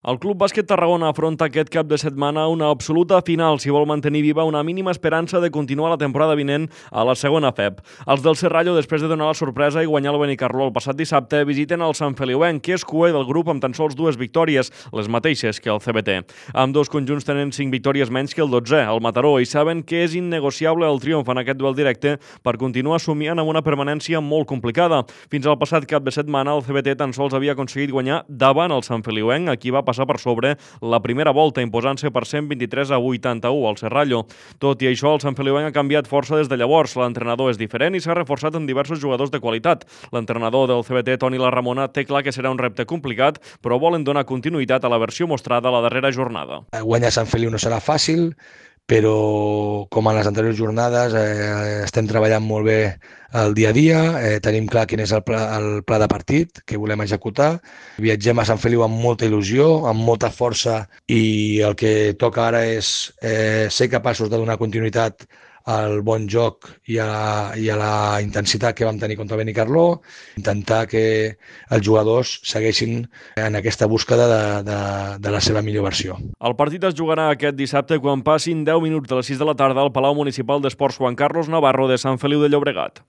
El Club Bàsquet Tarragona afronta aquest cap de setmana una absoluta final si vol mantenir viva una mínima esperança de continuar la temporada vinent a la segona FEP. Els del Serrallo, després de donar la sorpresa i guanyar el Benicarló el passat dissabte, visiten el Sant Feliuenc, que és cuer del grup amb tan sols 2 victòries, les mateixes que el CBT. Ambdós conjunts tenen 5 victòries menys que el 12è, el Mataró, i saben que és innegociable el triomf en aquest duel directe per continuar somiant amb una permanència molt complicada. Fins al passat cap de setmana, el CBT tan sols havia aconseguit guanyar davant el Sant Feliuenc, a qui va passar per sobre la primera volta, imposant-se per 123-81 al Serrallo. Tot i això, el Sant Feliuenc ha canviat força des de llavors. L'entrenador és diferent i s'ha reforçat amb diversos jugadors de qualitat. L'entrenador del CBT, Toni Larramona, té clar que serà un repte complicat, però volen donar continuïtat a la versió mostrada a la darrera jornada. Guanyar Sant Feliu no serà fàcil, però com en les anteriors jornades estem treballant molt bé el dia a dia, tenim clar quin és el pla de partit que volem executar. Viatgem a Sant Feliu amb molta il·lusió, amb molta força, i el que toca ara és ser capaços de donar continuïtat al bon joc i a la intensitat que vam tenir contra el Benicarló, intentar que els jugadors segueixin en aquesta búsqueda de la seva millor versió. El partit es jugarà aquest dissabte quan passin 10 minuts de les 6 de la tarda al Palau Municipal d'Esports Juan Carlos Navarro de Sant Feliu de Llobregat.